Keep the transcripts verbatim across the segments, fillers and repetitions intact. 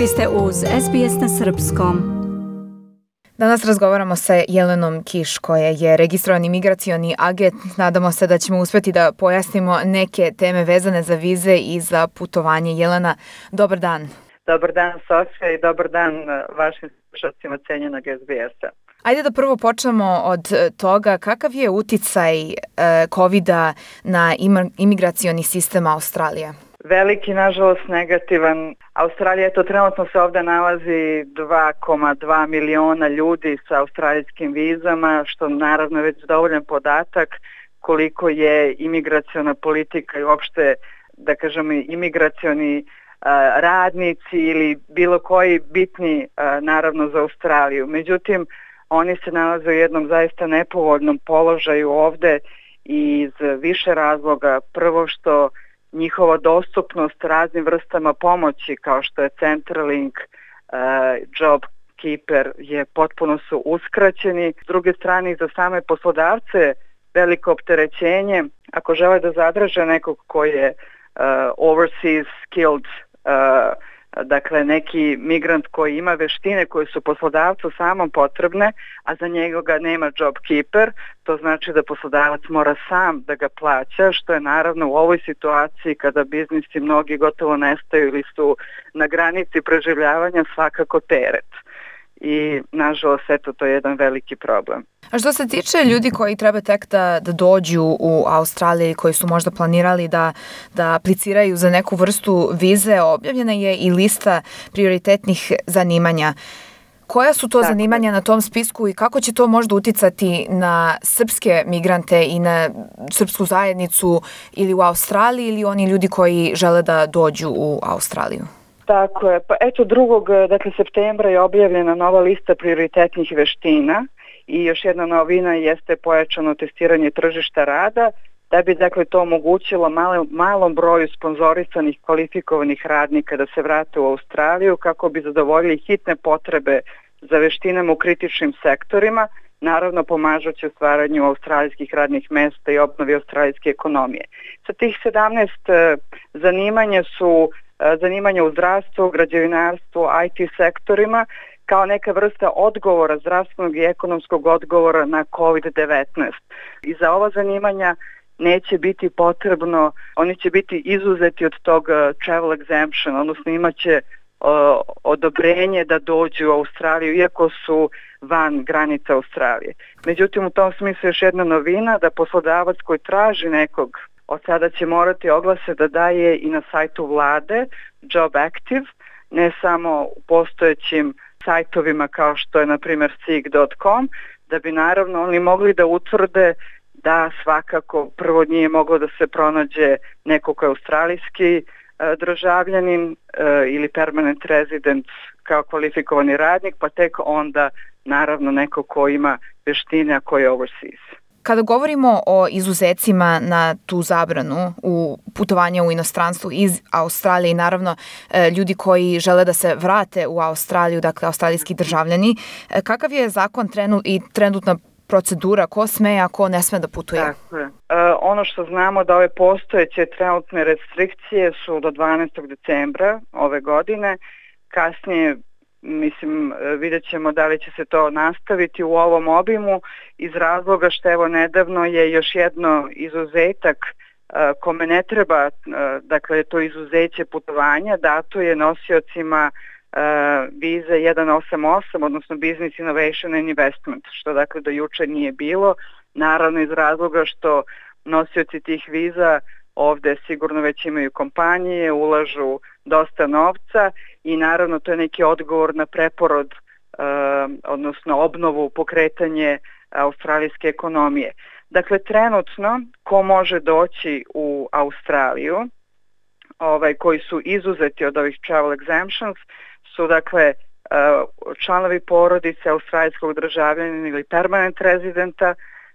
Vi ste uz S B S na srpskom. Danas razgovaramo sa Jelenom Kiš, koja je registrovani migracioni agent. Nadamo se da ćemo uspjeti da pojasnimo neke teme vezane za vize i za putovanje. Jelena, dobar dan. Dobar dan, Sofija, i dobar dan vašim slušalcima cenjenog S B S-a. Ajde da prvo počnemo od toga kakav je uticaj kovida na imigracioni sistem Australije. Veliki, nažalost, negativan. Australija, eto, trenutno se ovdje nalazi dva zarez dva miliona ljudi sa australijskim vizama, što naravno je već dovoljan podatak koliko je imigraciona politika i uopšte, da kažemo, imigracioni radnici ili bilo koji bitni naravno za Australiju. Međutim, oni se nalaze u jednom zaista nepovoljnom položaju ovdje iz više razloga. Prvo što njihova dostupnost raznim vrstama pomoći kao što je Centrelink, uh, JobKeeper je potpuno su uskraćeni. S druge strane, za same poslodavce veliko opterećenje ako žele da zadrže nekog koji je uh, overseas skilled, uh, dakle neki migrant koji ima veštine koje su poslodavcu samom potrebne, a za njega nema JobKeeper, to znači da poslodavac mora sam da ga plaća, što je naravno u ovoj situaciji kada biznisi mnogi gotovo nestaju ili su na granici preživljavanja svakako teret. I nažalost, eto, to je jedan veliki problem. A što se tiče ljudi koji treba tek da, da dođu u Australiji, koji su možda planirali da, da apliciraju za neku vrstu vize, objavljena je i lista prioritetnih zanimanja. Koja su to Tako. zanimanja na tom spisku i kako će to možda uticati na srpske migrante i na srpsku zajednicu ili u Australiji ili oni ljudi koji žele da dođu u Australiju? Tako je. Pa eto, drugog dakle, septembra je objavljena nova lista prioritetnih veština i još jedna novina jeste pojačano testiranje tržišta rada, da bi dakle to omogućilo malo, malom broju sponzorisanih kvalifikovanih radnika da se vrate u Australiju kako bi zadovoljili hitne potrebe za veštinama u kritičnim sektorima, naravno pomažući u stvaranju australijskih radnih mesta i obnovi australijske ekonomije. Sa tih sedamnaest zanimanja su zanimanja u zdravstvu, građevinarstvu, I T sektorima kao neka vrsta odgovora, zdravstvenog i ekonomskog odgovora na kovid devetnaest. I za ova zanimanja neće biti potrebno, oni će biti izuzeti od tog travel exemption, odnosno imaće uh, odobrenje da dođu u Australiju, iako su van granica Australije. Međutim, u tom smislu još jedna novina, da poslodavac koji traži nekog od sada će morati oglase da daje i na sajtu vlade Job Active, ne samo u postojećim sajtovima kao što je na primjer seek dot com, da bi naravno oni mogli da utvrde da svakako prvo nije moglo da se pronađe neko ko je australijski e, državljanin e, ili permanent resident kao kvalifikovani radnik, pa tek onda naravno neko ko ima veštine, a ko je overseas. Kada govorimo o izuzecima na tu zabranu u putovanja u inostranstvu iz Australije i naravno ljudi koji žele da se vrate u Australiju, dakle australijski državljani, kakav je zakon trenu i trenutna procedura, ko sme, a ko ne sme da putuje? Tako je. E, ono što znamo da ove postojeće trenutne restrikcije su do dvanaestog decembra ove godine, kasnije mislim, vidjet ćemo da li će se to nastaviti u ovom obimu iz razloga što evo nedavno je još jedno izuzetak uh, kome ne treba, uh, dakle to izuzeće putovanja, dato je nosiocima uh, vize jedan osam osam, odnosno Business Innovation and Investment, što dakle do juče nije bilo, naravno iz razloga što nosioci tih viza ovdje sigurno već imaju kompanije, ulažu dosta novca i naravno to je neki odgovor na preporod, uh, odnosno obnovu, pokretanje australijske ekonomije. Dakle, trenutno ko može doći u Australiju, ovaj, koji su izuzeti od ovih travel exemptions, su dakle uh, članovi porodice australijskog državljanina ili permanent rezidenta,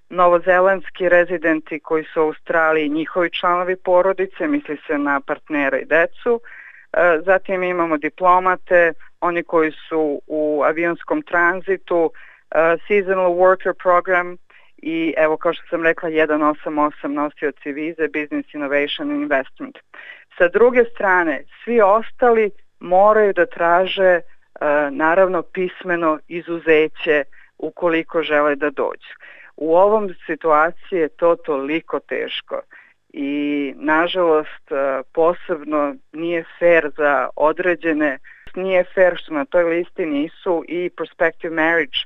novozelandski rezidenti koji su u Australiji, njihovi članovi porodice, misli se na partnera i decu. Zatim imamo diplomate, oni koji su u avionskom tranzitu, seasonal worker program i evo kao što sam rekla jedan osam osam nosioci vize, Business Innovation and Investment. Sa druge strane, svi ostali moraju da traže naravno pismeno izuzeće ukoliko žele da dođu. U ovom situaciji je to toliko teško i nažalost posebno nije fair za određene, nije fair što na toj listi nisu i prospective marriage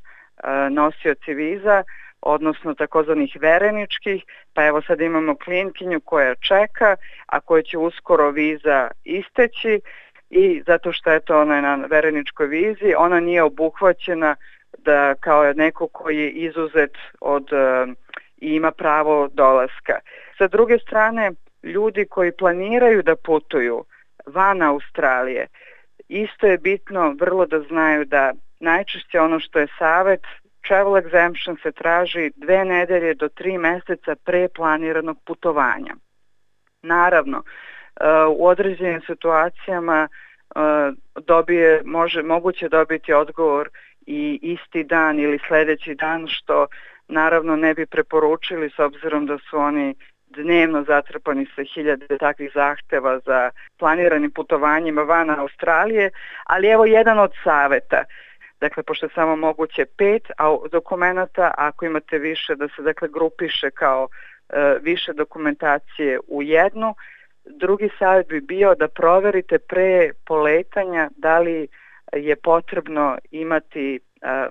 nosioci viza, odnosno takozvanih vereničkih, pa evo sad imamo klijentkinju koja čeka, a koja će uskoro viza isteći i zato što je to ona je na vereničkoj vizi, ona nije obuhvaćena da kao neko koji je izuzet od i ima pravo dolaska. Sa druge strane, ljudi koji planiraju da putuju van Australije, isto je bitno vrlo da znaju da najčešće ono što je savet, travel exemption se traži dve nedelje do tri meseca pre planiranog putovanja. Naravno, u određenim situacijama dobije, može, moguće dobiti odgovor i isti dan ili sledeći dan, što naravno ne bi preporučili s obzirom da su oni dnevno zatrpani sa hiljade takvih zahteva za planiranim putovanjima van Australije, ali evo jedan od saveta. Dakle, pošto je samo moguće pet dokumenta, ako imate više da se dakle grupiše kao e, više dokumentacije u jednu. Drugi savjet bi bio da proverite pre poletanja da li je potrebno imati e,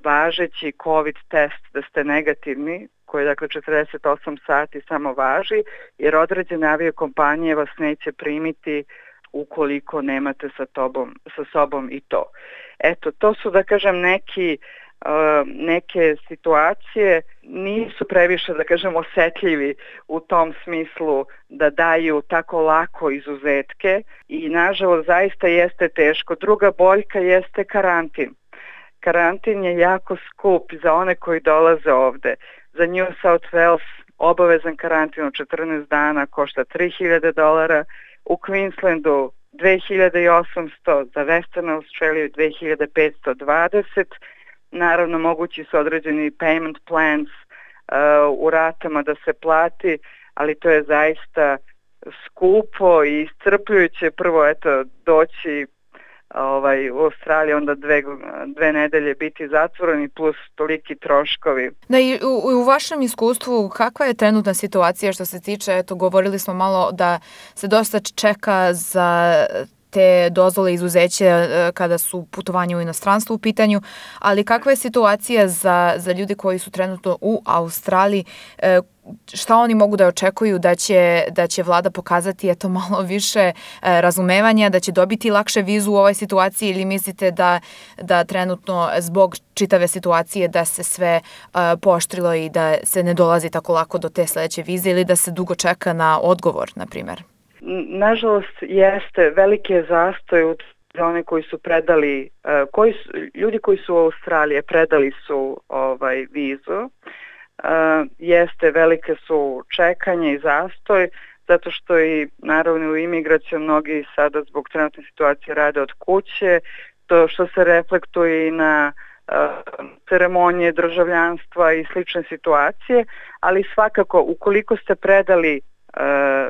važeći COVID test da ste negativni, koji dakle četrdeset osam sati samo važi, jer određene aviokompanije vas neće primiti ukoliko nemate sa, tobom, sa sobom i to. Eto, to su da kažem neki, uh, neke situacije, nisu previše da kažem osetljivi u tom smislu da daju tako lako izuzetke i nažalost zaista jeste teško. Druga boljka jeste karantin. Karantin je jako skup za one koji dolaze ovde. Za New South Wales obavezan karantin od četrnaest dana košta tri hiljade dolara, u Queenslandu dve hiljade osamsto, za Western Australia dve hiljade petsto dvadeset. Naravno, mogući su određeni payment plans uh, u ratama da se plati, ali to je zaista skupo i iscrpljujuće. Prvo, eto, doći ovaj, u Australiji, onda dve, dve nedelje biti zatvoreni plus toliki troškovi. Da, i u, u vašem iskustvu kakva je trenutna situacija što se tiče, eto, govorili smo malo da se dosta čeka za te dozvole izuzeće kada su putovanja u inostranstvu u pitanju, ali kakva je situacija za, za ljudi koji su trenutno u Australiji, šta oni mogu da očekuju da će, da će vlada pokazati eto malo više razumevanja, da će dobiti lakše vizu u ovoj situaciji ili mislite da, da trenutno zbog čitave situacije da se sve uh, pooštrilo i da se ne dolazi tako lako do te sledeće vize ili da se dugo čeka na odgovor, na primjer? Nažalost, jeste, veliki je zastoj za one koji su predali, uh, koji su, ljudi koji su u Australiji predali su ovaj vizu, uh, jeste, velike su čekanje i zastoj, zato što i naravno u imigraciju mnogi sada zbog trenutne situacije rade od kuće, to što se reflektuje i na uh, ceremonije državljanstva i slične situacije, ali svakako ukoliko ste predali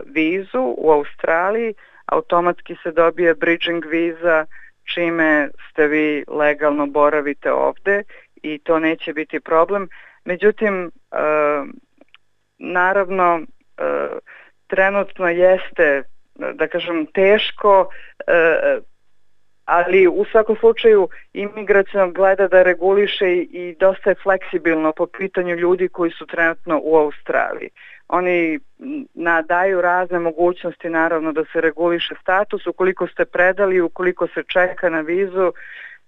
vizu u Australiji, automatski se dobije bridging viza, čime ste vi legalno boravite ovde i to neće biti problem. Međutim, naravno, trenutno jeste, da kažem, teško, ali u svakom slučaju imigracija gleda da reguliše i dosta je fleksibilno po pitanju ljudi koji su trenutno u Australiji. Oni daju razne mogućnosti naravno da se reguliše status, ukoliko ste predali, ukoliko se čeka na vizu,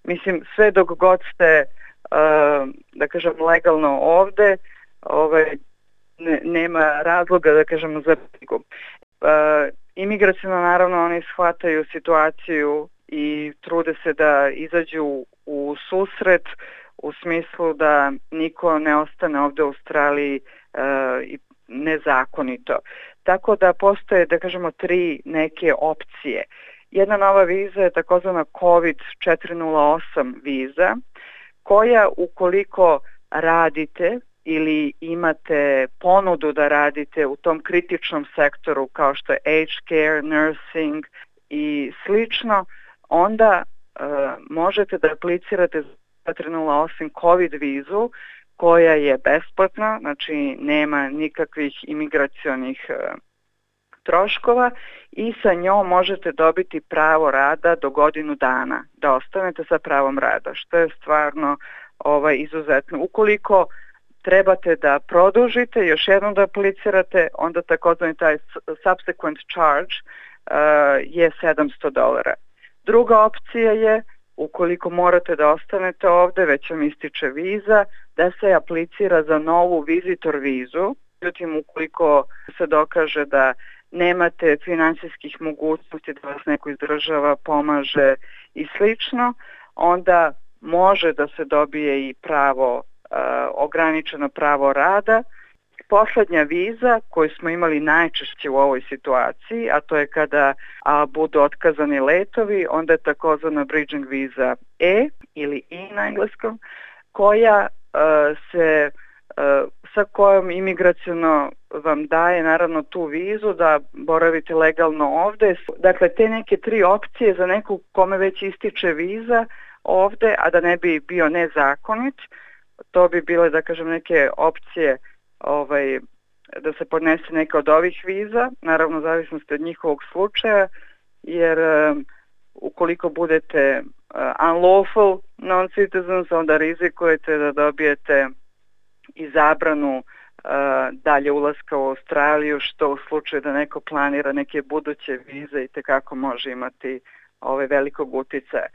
mislim sve dok god ste, uh, da kažem, legalno ovde, ovaj, ne, nema razloga da kažem za brigu. Uh, imigracijno naravno oni shvataju situaciju i trude se da izađu u susret u smislu da niko ne ostane ovde u Australiji uh, i nezakonito. Tako da postoje, da kažemo, tri neke opcije. Jedna nova viza je takozvana COVID četiri nula osam viza, koja ukoliko radite ili imate ponudu da radite u tom kritičnom sektoru kao što je aged care, nursing i slično, onda uh, možete da aplicirate za četiri nula osam COVID vizu koja je besplatna, znači nema nikakvih imigracionih uh, troškova i sa njom možete dobiti pravo rada do godinu dana, da ostanete sa pravom rada, što je stvarno ovaj, izuzetno. Ukoliko trebate da produžite, još jednom da aplicirate, onda takozvani taj subsequent charge uh, je sedamsto dolara. Druga opcija je, ukoliko morate da ostanete ovde, već vam ističe viza, da se aplicira za novu visitor vizu. Međutim, ukoliko se dokaže da nemate finansijskih mogućnosti da vas neko izdržava, pomaže i slično, onda može da se dobije i pravo, uh, ograničeno pravo rada. Poslednja viza koju smo imali najčešće u ovoj situaciji, a to je kada a, budu otkazani letovi, onda je takozvana bridging viza E ili I na engleskom, koja uh, se uh, sa kojom imigraciono vam daje naravno tu vizu da boravite legalno ovde. Dakle, te neke tri opcije za neku kome već ističe viza ovde, a da ne bi bio nezakonit, to bi bile, da kažem, neke opcije ovaj, da se podnese neka od ovih viza, naravno zavisnosti od njihovog slučaja, jer um, ukoliko budete uh, unlawful non-citizens, onda rizikujete da dobijete i zabranu uh, dalje ulaska u Australiju, što u slučaju da neko planira neke buduće vize i tekako može imati ove velikog uticaja.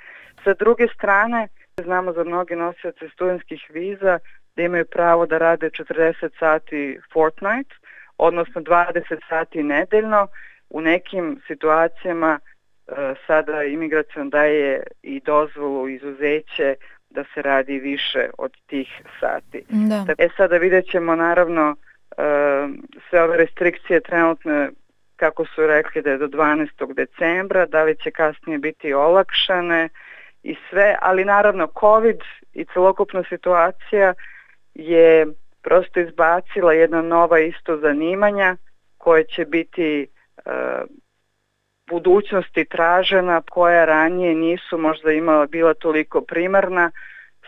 Sa druge strane, znamo za mnoge nosioce studentskih viza da imaju pravo da rade četrdeset sati fortnight, odnosno dvadeset sati nedeljno. U nekim situacijama uh, sada imigracion daje i dozvolu, izuzeće da se radi više od tih sati. Da. E sada vidjet ćemo naravno uh, sve ove restrikcije trenutne, kako su rekli da je do dvanaestog decembra, da li će kasnije biti olakšane i sve, ali naravno COVID i celokupna situacija je prosto izbacila jedna nova isto zanimanja koje će biti uh, budućnosti tražena, koja ranije nisu možda imala, bila toliko primarna.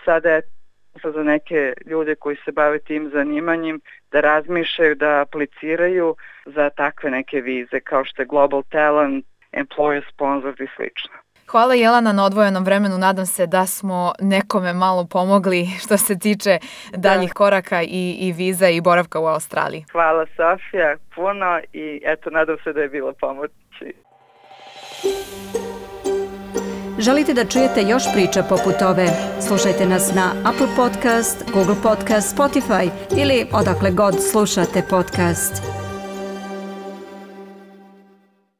Sada je za neke ljude koji se bave tim zanimanjem da razmišljaju, da apliciraju za takve neke vize kao što je Global Talent, Employer Sponsored i slično. Hvala Jelena na odvojenom vremenu, nadam se da smo nekome malo pomogli što se tiče daljih da. koraka i, i viza i boravka u Australiji. Hvala Sofija, puno i eto, nadam se da je bilo pomoći. Želite da čujete još priča poput ove? Slušajte nas na Apple Podcast, Google Podcast, Spotify ili odakle god slušate podcast.